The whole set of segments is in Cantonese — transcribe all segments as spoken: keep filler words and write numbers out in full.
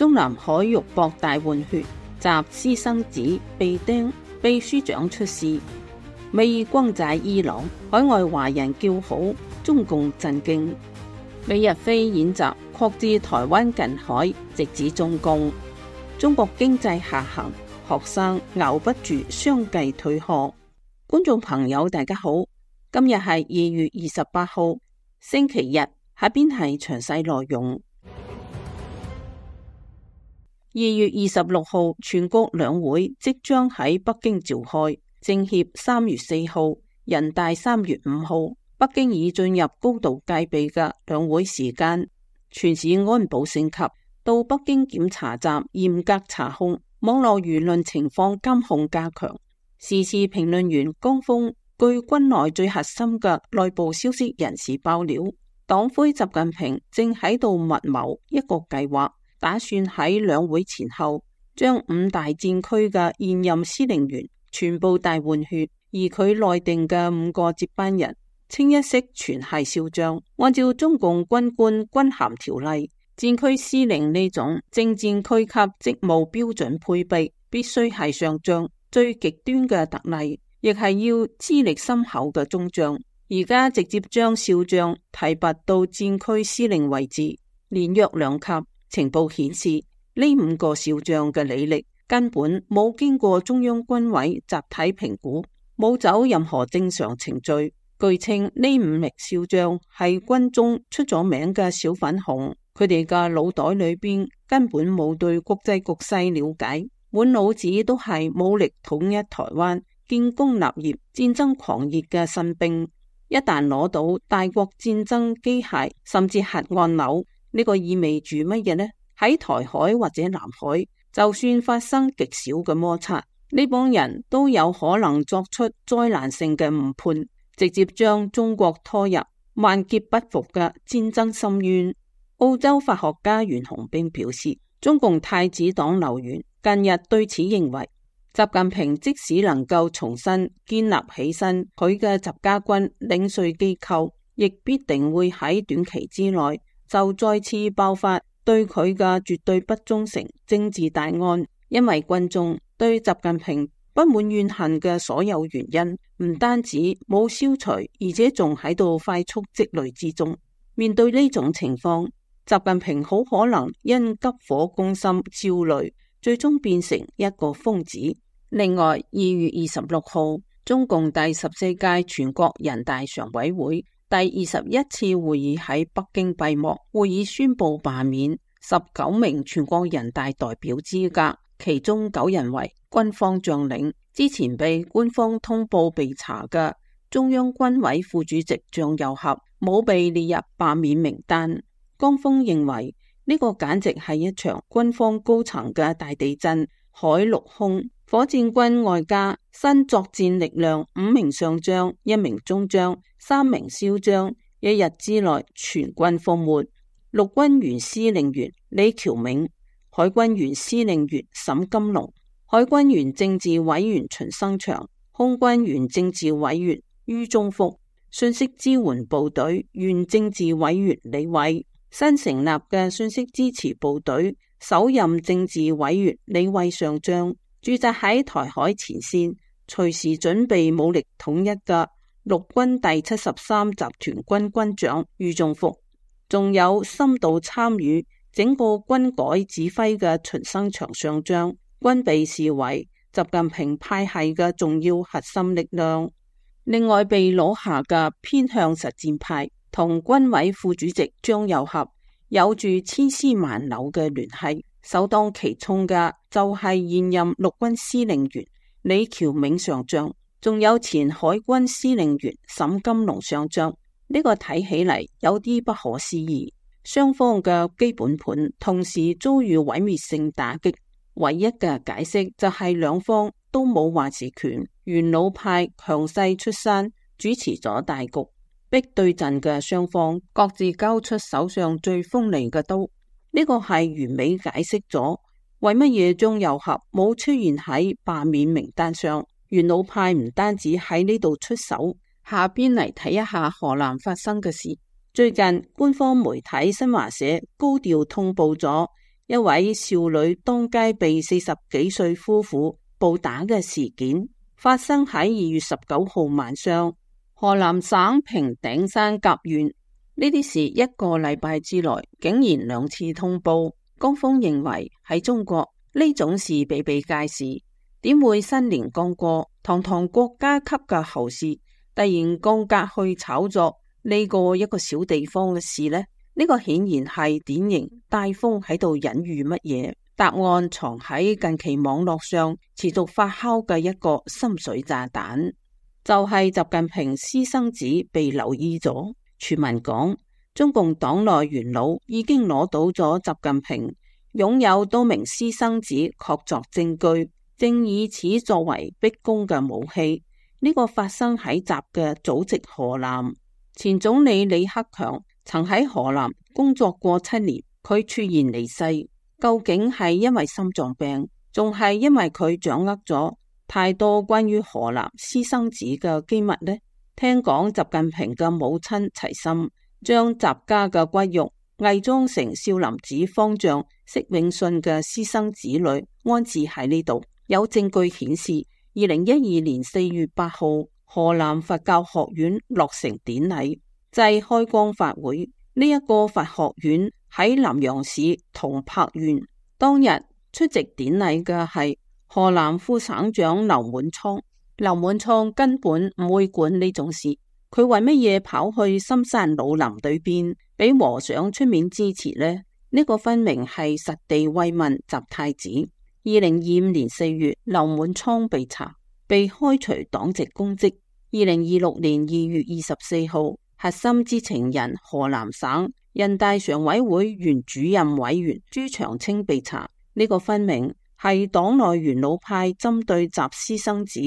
中南海肉搏大換血，習私生子被釘，秘書長出事，美意轟炸伊朗，海外華人叫好，中共震驚。美日菲演習擴至台灣近海，直指中共。中國經濟下行，學生熬不住相繼退學。觀眾朋友大家好，今日係二月二十八號星期日，下邊係詳細內容。二月二十六號全國兩會即將喺北京召開，政協三月四號，人大三月五號。北京已進入高度戒備嘅兩會時間，全市安保升級，到北京檢查站嚴格查控，網絡輿論情況監控加強。時事評論員江峰據軍內最核心嘅內部消息人士爆料，黨魁習近平正喺度密謀一個計劃，打算喺兩會前後將五大戰區嘅現任司令員全部大換血，而佢內定嘅五個接班人清一色全係少將。按照中共軍官軍銜條例，戰區司令呢種正戰區級職務標準配備必須係上將，最極端嘅特例亦係要資歷深厚嘅中將。而家直接將少將提拔到戰區司令位置，連約兩級。情報顯示呢五個少將嘅履歷根本冇經過中央軍委集體評估，冇走任何正常程序。據稱呢五名少將係軍中出咗名嘅小粉紅，佢哋嘅腦袋裏邊根本冇對國際局勢了解，滿腦子都係武力統一台灣、建功立業、戰爭狂熱嘅新兵。一旦攞到大國戰爭機械甚至核按鈕，呢個意味住乜嘢呢？喺台海或者南海，就算發生極少嘅摩擦，呢幫人都有可能作出災難性嘅誤判，直接將中國拖入萬劫不復嘅戰爭深淵。澳洲法學家袁洪兵表示，中共太子黨流員近日對此認為，習近平即使能夠重新建立起身佢嘅習家軍領稅機構，亦必定會喺短期之內就再次爆發對佢嘅絕對不忠誠政治大案。因為軍眾對習近平不滿怨恨嘅所有原因唔單止冇消除，而且仲喺度快速積累之中。面對呢種情況，習近平好可能因急火攻心焦慮，最終變成一個瘋子。另外，二月二十六號，中共第十四屆全國人大常委會第二十一次會議喺北京閉幕。會議宣布罷免十九名全國人大代表資格，其中九人為軍方將領。之前被官方通報被查嘅中央軍委副主席張又俠冇被列入罷免名單。江峰認為呢個簡直係一場軍方高層嘅大地震，海陸空火箭軍外加新作戰力量五名上將、一名中將、三名少將，一日之內全軍覆沒。陸軍原司令員李喬銘、海軍原司令員沈金龍、海軍原政治委員秦生祥、空軍原政治委員于宗福、信息支援部隊原政治委員李偉、新成立嘅信息支持部隊首任政治委員李偉上將，駐紮喺台海前線，隨時準備武力統一嘅陸軍第七十三集團軍軍長于宗福，仲有深度參與整個軍改指揮嘅秦生祥上將，均被視為習近平派系嘅重要核心力量。另外被攞下嘅偏向實戰派同軍委副主席張又俠有住千絲萬縷嘅聯繫，首當其衝嘅就係現任陸軍司令員李喬銘上將，仲有前海軍司令員沈金龍上將。呢、這個睇起嚟有啲不可思議，雙方嘅基本盤同時遭遇毀滅性打擊，唯一嘅解釋就係兩方都冇話事權，元老派強勢出山主持咗大局，逼對陣嘅雙方各自交出手上最鋒利嘅刀。呢個係完美解釋咗為乜嘢張又俠冇出現喺罷免名單上。元老派唔單止喺呢度出手，下邊嚟睇一下河南發生嘅事。最近官方媒體新華社高調通報咗一位少女當街被四十幾歲夫婦暴打嘅事件，發生喺二月十九號晚上，河南省平頂山甲縣。呢啲事一個禮拜之內竟然兩次通報。江峰認為喺中國呢種事比比皆是，點會新年剛過，堂堂國家級嘅侯氏突然降格去炒作呢個一個小地方嘅事呢？呢個顯然係典型大風喺度隱喻乜嘢？答案藏喺近期網絡上持續發酵嘅一個深水炸彈，就係習近平私生子被留意咗。傳聞講，中共黨內元老已經攞到咗習近平擁有多名私生子確鑿證據，正以此作為逼宮嘅武器。呢、這個發生喺習嘅祖籍河南，前總理李克強曾喺河南工作過七年，佢猝然離世，究竟係因為心臟病，仲係因為佢掌握咗太多關於河南私生子嘅機密呢？聽講習近平嘅母親齊心將習家嘅骨肉偽裝成少林寺方丈釋永信嘅私生子女安置喺呢度。有證據顯示，二零一二年四月八號，河南佛教學院落成典禮即開光法會。呢、這、一個佛學院喺南陽市銅柏縣，當日出席典禮嘅係河南副省長劉滿倉。劉滿倉根本唔會管呢種事，佢為乜嘢跑去深山老林對邊俾和尚出面支持呢？呢、這個分明係實地慰問習太子。二零二五年四月，劉滿倉被查，被開除黨籍公職。二零二六年二月二十四號，核心知情人河南省人大常委會原主任委員朱長青被查。呢、這個分明係黨內元老派針對習私生子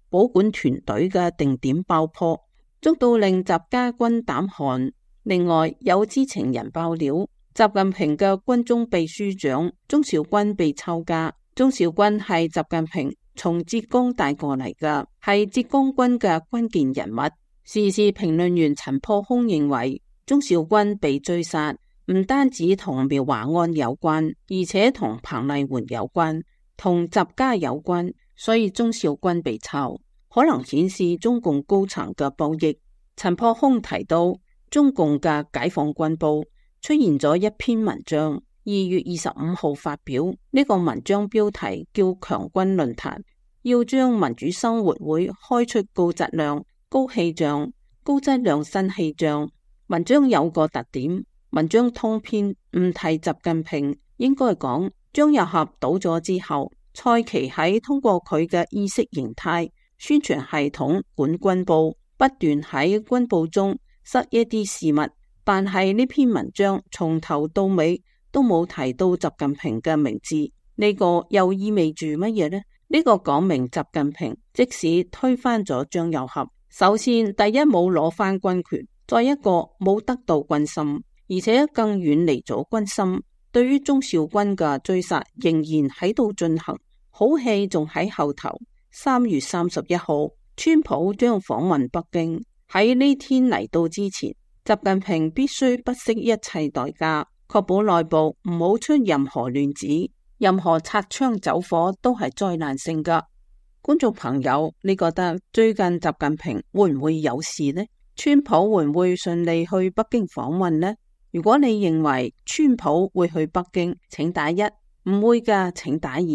保管團隊嘅定點爆破，捉到令習家軍膽寒。另外有知情人爆料，習近平嘅軍中秘書長鍾兆軍被抄家。鍾兆軍係習近平從浙江帶過嚟嘅，係浙江軍嘅關鍵人物。時事評論員陳破空認為，鍾兆軍被追殺唔單止同苗華案有關，而且同彭麗媛有關，同習家有關，所以鍾兆軍被抄，可能顯示中共高層嘅博弈。陳破空提到，中共嘅解放軍報出現咗一篇文章，二月二十五號發表，呢、這個文章標題叫強軍論壇，要將民主生活會開出高質量、高氣象、高質量新氣象。文章有個特點，文章通篇唔提習近平，應該講張又俠倒咗之後，蔡奇喺通過佢嘅意識形態宣傳系統管軍報，不斷喺軍報中塞一啲事物，但係呢篇文章從頭到尾都冇提到習近平嘅名字，呢、這個又意味住乜嘢呢？呢、這個講明習近平即使推翻咗張又俠，首先第一冇攞翻軍權，再一個冇得到軍心，而且更遠離咗軍心。對於鍾兆軍嘅追殺仍然喺度進行，好戲仲喺後頭。三月三十一號，川普將訪問北京，喺呢天嚟到之前，習近平必須不惜一切代價，確保內部唔好出任何亂子，任何擦槍走火都係災難性噶。觀眾朋友，你覺得最近習近平會唔會有事呢？川普會唔會順利去北京訪問呢？如果你認為川普會去北京，請打一；唔會噶，請打二。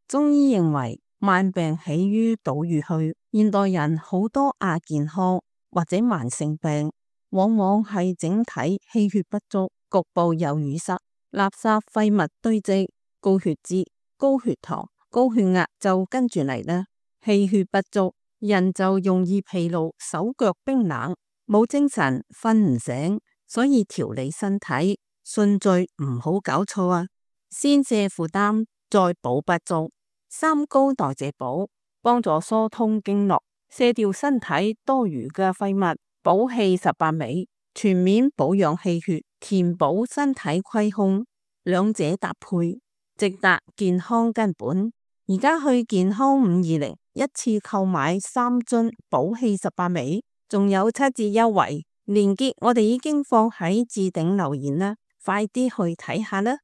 中醫認為慢病起於堵淤虛，現代人好多亞健康或者慢性病，往往係整體氣血不足，局部有淤塞，垃圾廢物堆積，高血脂、高血糖、高血壓就跟住嚟啦。氣血不足，人就容易疲勞，手腳冰冷，冇精神，瞓唔醒。所以調理身體順序唔好搞錯啊！先瀉負擔，再補不足。三高代謝補，幫助疏通經絡，卸掉身體多餘嘅廢物，補氣十八味，全面保養氣血，填補身體虧空，兩者搭配，直達健康根本。而家去健康五二零，一次購買三樽補氣十八味，仲有七折優惠，連結我哋已經放喺置頂留言啦，快啲去睇下啦！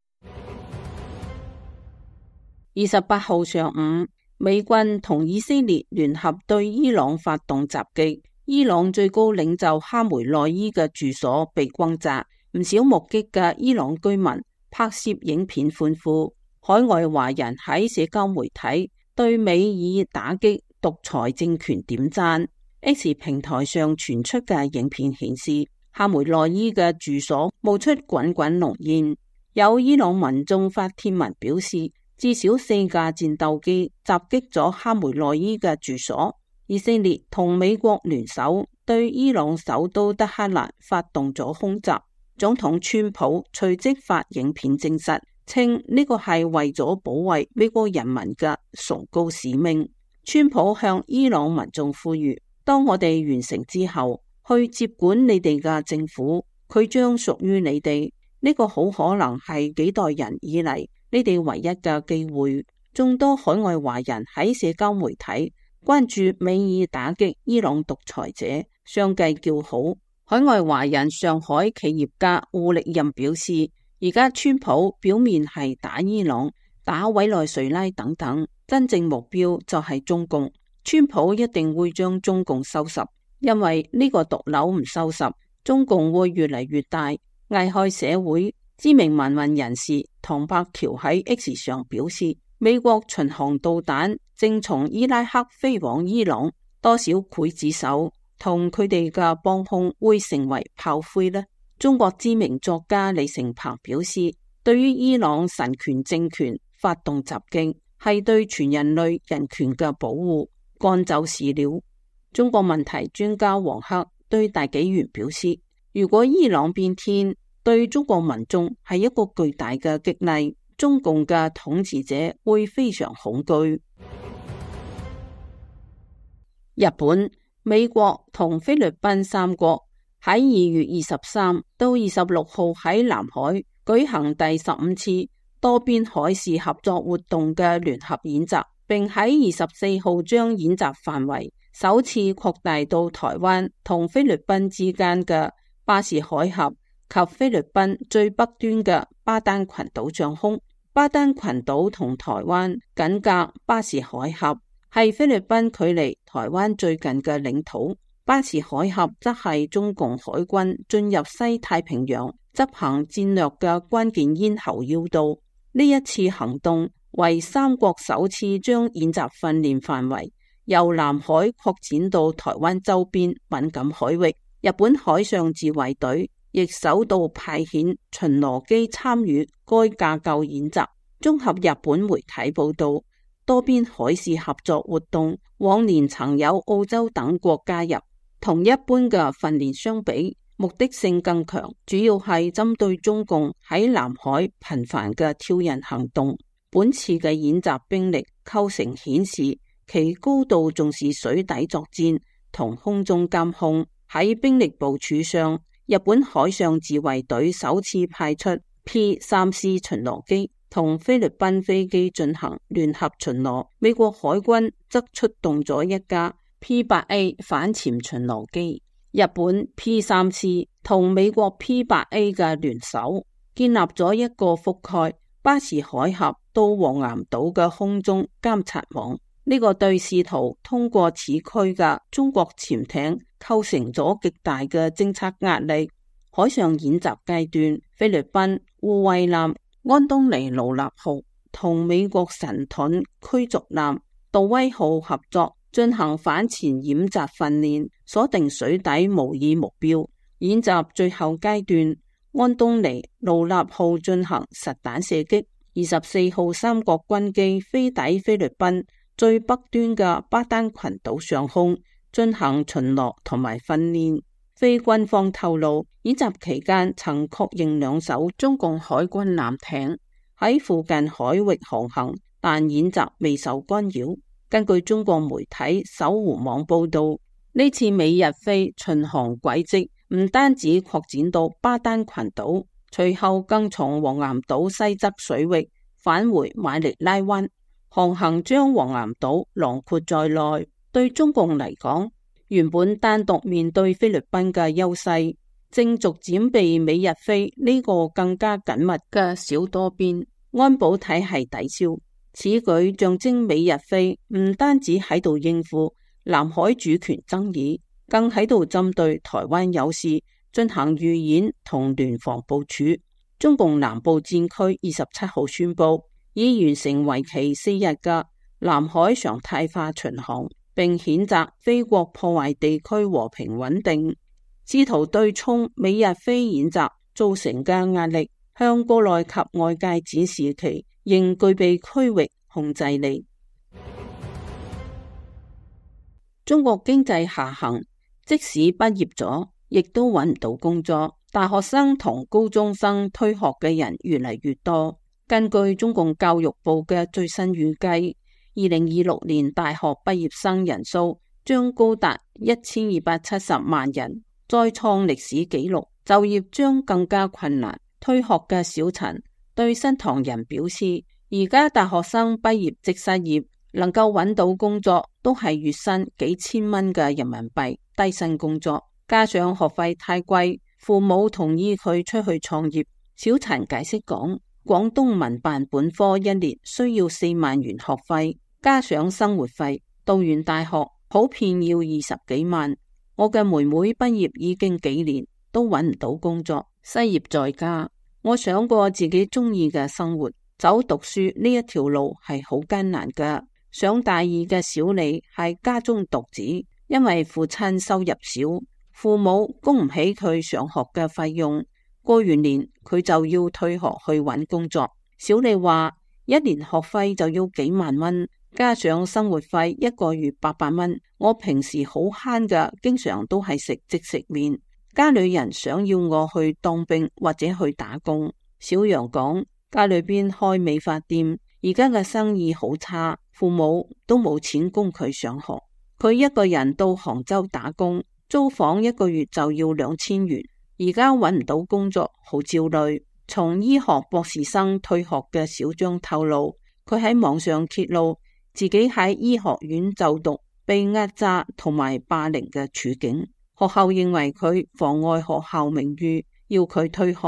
二十八號上午，美軍同以色列聯合對伊朗發動襲擊，伊朗最高領袖哈梅內伊嘅住所被轟炸，唔少目擊嘅伊朗居民拍攝影片歡呼。海外華人喺社交媒體對美以打擊獨裁政權點讚。X 平台上傳出嘅影片顯示，哈梅內伊嘅住所冒出滾滾濃煙。有伊朗民眾發帖文表示，至少四架戰鬥機襲擊咗哈梅內伊嘅住所。以色列同美國聯手對伊朗首都德黑蘭發動咗空襲。總統川普隨即發影片證實，稱呢個係為咗保衛美國人民嘅崇高使命。川普向伊朗民眾呼籲，當我哋完成之後，去接管你哋嘅政府，佢將屬於你哋。呢個好可能係幾代人以嚟你哋唯一嘅機會。眾多海外華人喺社交媒體關注美以打擊伊朗獨裁者，相繼叫好。海外華人上海企業家胡力任表示，而家川普表面係打伊朗、打委內瑞拉等等，真正目標就係中共。川普一定會將中共收拾，因為呢個毒瘤唔收拾，中共會越嚟越大，危害社會。知名民運人士唐伯橋喺 X 上表示，美國巡航導彈正從伊拉克飛往伊朗，多少劊子手同佢哋嘅幫兇會成為炮灰呢？中國知名作家李成鵬表示，對於伊朗神權政權發動襲擊，係對全人類人權嘅保護，幹就是了。中國問題專家王克對大紀元表示，如果伊朗變天，對中國民眾係一個巨大嘅激勵，中共嘅統治者會非常恐懼。日本、美國同菲律賓三國喺二月二十三到二十六號喺南海舉行第十五次多邊海事合作活動嘅聯合演習，並喺二十四號將演習範圍首次擴大到台灣同菲律賓之間嘅巴士海峽及菲律賓最北端嘅巴丹群島上空。巴丹群島同台灣緊隔巴士海峽，係菲律賓距離台灣最近嘅領土。巴士海峽則係中共海軍進入西太平洋執行戰略嘅關鍵咽喉要道。呢一次行動為三國首次將演習訓練範圍由南海擴展到台灣周邊敏感海域。日本海上自衛隊亦首度派遣巡邏機參與該架構演習。綜合日本媒體報道，多邊海事合作活動往年曾有澳洲等國加入，同一般嘅訓練相比，目的性更強，主要係針對中共喺南海頻繁嘅挑釁行動。本次嘅演習兵力構成顯示其高度重視水底作戰同空中監控。喺兵力部署上，日本海上自衛隊首次派出 P 三 C 巡邏機同菲律賓飛機進行聯合巡邏，美國海軍則出動咗一架 P 八 A 反潛巡邏機。日本 P 三 C 同美國 P 八 A 嘅聯手，建立咗一個覆蓋巴士海峽到黃岩島嘅空中監察網。呢個對試圖通過此區嘅中國潛艇構成咗極大嘅偵察壓力。海上演習階段，菲律賓護衛艦安東尼盧納號同美國神盾驅逐艦杜威號合作進行反潛演習訓練，鎖定水底模擬目標。演習最後階段，安東尼盧納號進行實彈射擊。二十四號三國軍機飛抵菲律賓最北端嘅巴丹群島上空進行巡邏同埋訓練。非軍方透露，演習期間曾確認兩艘中共海軍艦艇喺附近海域航行，但演習未受干擾。根據中國媒體搜狐網報道，呢次美日菲巡航軌跡唔單止擴展到巴丹群島，隨後更從黃岩島西側水域返回馬尼拉灣，航行將黃岩島囊括在內。對中共嚟講，原本單獨面對菲律賓嘅優勢，正逐漸被美日菲呢個更加緊密嘅小多邊安保體系抵消。此舉象徵美日菲唔單止喺度應付南海主權爭議，更喺度針對台灣有事進行預演同聯防部署。中共南部戰區二十七號宣布，已完成為期四日嘅南海常態化巡航，並譴責菲國破壞地區和平穩定，試圖對沖美日菲演習造成嘅壓力，向國內及外界展示其仍具備區域控制力。中國經濟下行，即使畢業咗，亦都揾唔到工作。大學生同高中生退學嘅人越嚟越多。根據中共教育部嘅最新預計，二零二六年大學畢業生人數將高達一千二百七十萬人，再創歷史紀錄。就業將更加困難。退學嘅小陳對新唐人表示，而家大學生畢業即失業，能夠揾到工作都係月薪幾千蚊嘅人民幣低薪工作，加上學費太貴，父母同意佢出去創業。小陳解釋講，廣東民辦本科一年需要四萬元學費，加上生活費，讀完大學普遍要二十幾萬。我嘅妹妹畢業已經幾年，都揾唔到工作，失業在家。我想過自己中意嘅生活，走讀書呢一條路係好艱難㗎。上大二嘅小李係家中獨子，因為父親收入少，父母供唔起佢上學嘅費用。過完年佢就要退學去揾工作。小李話一年學費就要幾萬蚊，加上生活費一個月八百蚊。我平時好慳㗎，經常都係食即食麵。家裏人想要我去當兵或者去打工。小楊講，家裏邊開美髮店，而家嘅生意好差，父母都冇錢供佢上學。佢一個人到杭州打工，租房一個月就要兩千元。而家揾唔到工作，好焦慮。從醫學博士生退學嘅小張透露，佢喺網上揭露自己喺醫學院就讀被壓榨同埋霸凌嘅處境。學校認為佢妨礙學校名譽，要佢退學。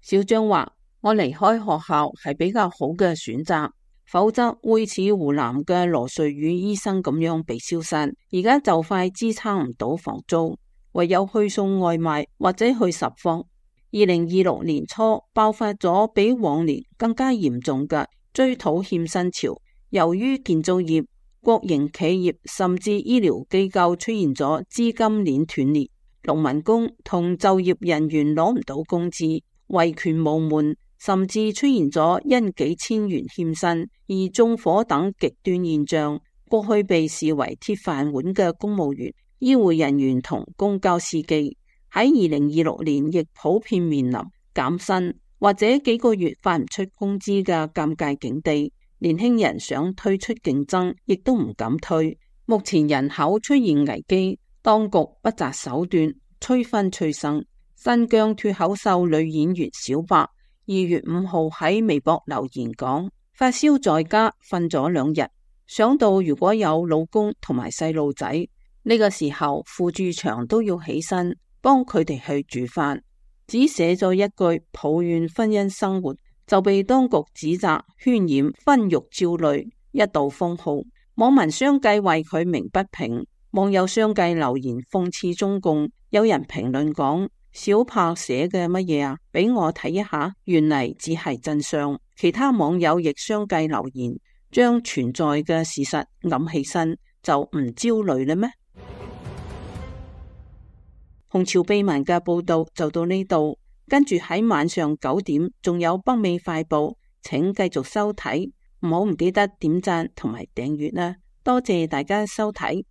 小張話，我離開學校係比較好嘅選擇，否則會似湖南嘅羅瑞宇醫生咁樣被消失。而家就快支撐唔到房租，唯有去送外賣或者去拾荒。二零二六年初爆發咗比往年更加嚴重嘅追討欠薪潮，由於建造業、國營企業甚至醫療機構出現咗資金鏈斷裂，農民工同就業人員攞唔到工資，維權無門，甚至出現咗因幾千元欠薪而縱火等極端現象。過去被視為鐵飯碗嘅公務員、醫護人員同公交司機，喺二零二六年亦普遍面臨減薪或者幾個月發唔出工資嘅尷尬境地。年輕人想退出競爭，亦都唔敢退。目前人口出現危機，當局不擇手段催婚催生。新疆脫口秀女演員小白二月五號喺微博留言講，發燒在家瞓咗兩日，想到如果有老公同埋細路仔，呢個時候扶住牆都要起身幫佢哋去煮飯。只寫咗一句抱怨婚姻生活，就被當局指責渲染婚育焦慮，一度封號。網民相繼為佢鳴不平，網友相繼留言諷刺中共。有人評論講，小柏寫嘅乜嘢啊？俾我睇一下，原嚟只係真相。其他網友亦相繼留言，將存在嘅事實揞起身，就唔焦慮啦咩？紅潮秘聞嘅報道就到呢度，跟住喺晚上九點仲有北美快報，請繼續收睇，唔好唔記得點讚同埋訂閱啦，多謝大家收睇。